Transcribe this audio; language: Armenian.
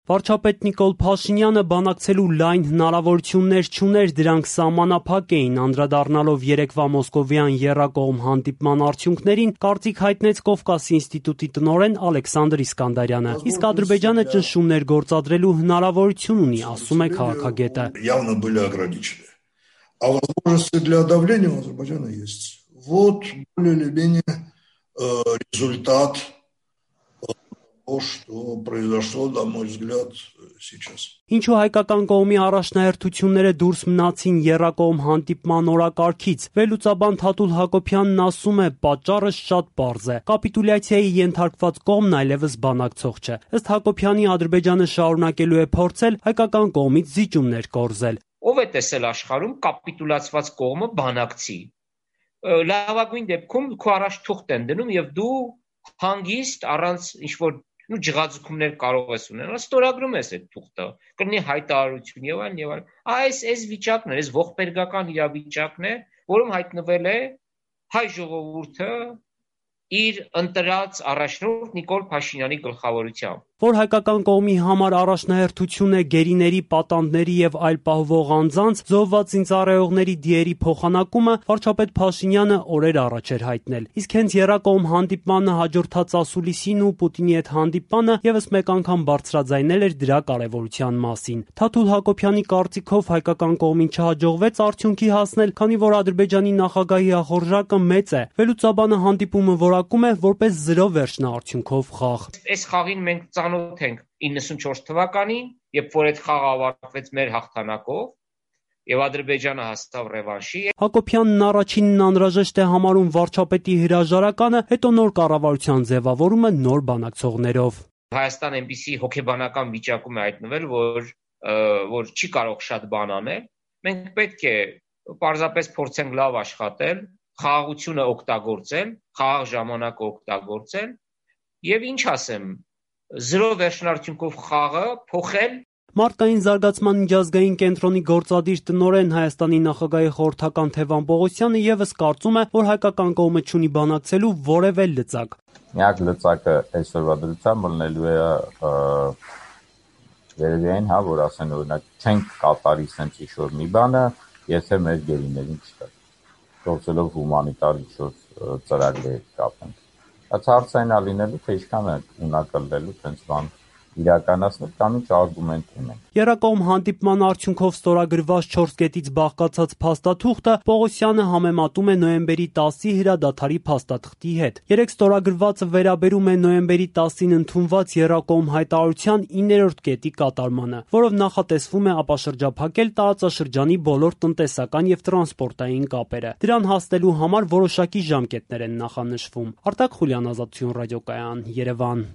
Վարչապետ Նիկոլ Փաշինյանը բանակցելու լայն հնարավորություններ չուներ, դրանք սահմանափակ էին, անդրադառնալով երեկվա մոսկովյան եռակողմ հանդիպման արդյունքներին, կարծիք հայտնեց Կովկասի ինստիտուտի տնօրեն Ալեքսանդր Իսկանդարյանը։ Իսկ Ադրբեջանը ճնշումներ գործադրելու հնարավորություն ունի, ասում է քաղաքագետը։ Явно были ограничены. А возможности для давления у Азербайджана есть. Вот более или менее результат того, что произошло, на мой взгляд, сейчас. Ինչու հայկական կողմի առաջնահերթությունները դուրս մնացին եռակողմ հանդիպման օրակարգից, վերլուծաբան Թաթուլ Հակոբյանն ասում է, պատճառը շատ պարզ է։ Կապիտուլյացիայի ենթարկված կողմն այլևս բանակցող չէ։ Ըստ Հակոբյանի, Ադրբեջանը շարունակելու է փորձել հայկական կողմից զիջումներ կորզել։ Ով է տեսել աշխարհում կապիտուլացված կողմը բանակցի։ Լավագույն դեպքում քո առաջ թուղթ են դնում եւ դու հանգիստ առանց ինչ-որ ջղաձգումներ կարող ես ունենալ, ստորագրում ես այդ թուղթը, կլինի հայտարարություն եւ այլն եւ այլն։ Այս վիճակն է, այս ողբերգական իրավիճակն է, որում հայտնվել է հայ ժողովուրդը իր ընտրած առաջնորդ Նիկոլ Փաշինյանի գլխավորությամբ։ Որ հայկական կողմի համար առաջնահերթություն է գերիների, պատանդների եւ այլ պահվող անձանց, զոհված զինծառայողների դիերի փոխանակումը, վարչապետ Փաշինյանը օրեր առաջ էր հայտնել։ Իսկ հենց եռակողմ հանդիպմանը հաջորդած ասուլիսին ու Պուտինի հետ հանդիպանը եւս մեկ անգամ բարձրաձայնել էր դրա կարեւորության մասին։ Թաթուլ Հակոբյանի կարծիքով հայկական կողմին չհաջողվեց արդյունքի հասնել, քանի որ Ադրբեջանի նախագահի ախորժակը մեծ է։ Վերլուծաբանը հանդիպումը որակում է որպես 0 վերջնաարդյունքով խաղ։ Այս խաղին մենք ծանոթ ենք 94 թվականին, երբ որ այդ խաղը ավարտվեց մեր հաղթանակով եւ Ադրբեջանը հասավ ռևանշի։ Հակոբյանն առաջինն անհրաժեշտ է համարում վարչապետի հրաժարականը, հետո նոր կառավարության ձևավորումը նոր բանակցողներով։ Հայաստան այնպիսի հոգեբանական վիճակում է հայտնվել, որ չի կարող շատ բան անել։ Մենք պետք է պարզապես փորձենք լավ աշխատել, խաղաղությունը օգտագործել, խաղաղ ժամանակը օգտագործել եւ ինչ ասեմ, 0 վերջնարդյունքով խաղը փոխել։ Մարդկային զարգացման միջազգային կենտրոնի գործադիր տնօրեն Հայաստանի նախագահի խորհրդական Թևան Պողոսյանը եւս կարծում է, որ հայկական կողմը չունի բանակցելու որևէ լծակ։ Միակ լծակը այսօրվա դրությամբ մնելու է երևին, որ ասեն օրինակ չենք կատարի sense ինչ-որ մի բանը, եթե մեր գերիներին չտա։ Գործելով հումանիտար ինչ-որ ծրագրեր կապենք։ Բայց հարցային ալինելու թե ինչքան է ունակալելու sense բան իրականացնել կամ ինչ արգումենտ ունեն։ Եռակողմ հանդիպման արդյունքով ստորագրված 4 կետից բաղկացած փաստաթուղթը Պողոսյանը համեմատում է նոյեմբերի 10-ի հրադադարի փաստաթղթի հետ։ Երեք ստորագրվածը վերաբերում է նոյեմբերի 10-ին ընդունված եռակողմ հայտարարության 9-րդ կետի կատարմանը, որով նախատեսվում է ապաշրջափակել տարածաշրջանի բոլոր տնտեսական եւ տրանսպորտային կապերը։ Դրան հասնելու համար որոշակի ժամկետներ են նախանշվում։ Արտակ Խուլյան, Ազատություն ռադիոկայան, Երևան։